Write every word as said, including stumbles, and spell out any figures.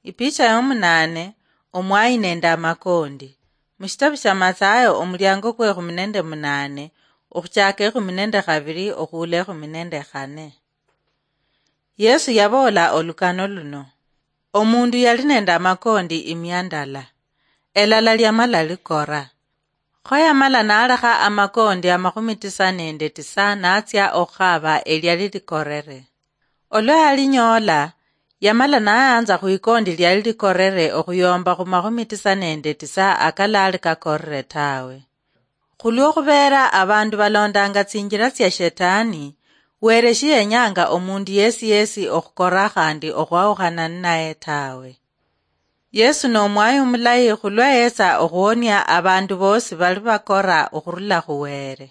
Ipicha yomunane, omwayi nende amakondi. Mushitabu sha Mathayo, omuliango kwe ekhumi nende munane, okhuchaka ekhumi nende khabili okhuula ekhumi nende khane. Yesu yaboola olukano luno: Omundu yali nende amakondi imia ndala, elala liamala likora. Kho yamala nalekha amakondi amakhumi tisa nende tisa natsia okhukhaba eliali likorere. Olwa yalinyoola, yamala nayanza khwikondi liali likorere okhuyomba khumakhumi tisa nende tisa akalali kakorere tawe. Khulwokhubeera abandu balondanga tsinjila tsia Shetani, Were shiyenyanga omundu yesi yesi okhukora khandi okhwawukhana ninaye tawe. Yesu nomwayi omulayi khulwa yetsa okhuwonia abandu bosi bali bakora okhurula khu Were.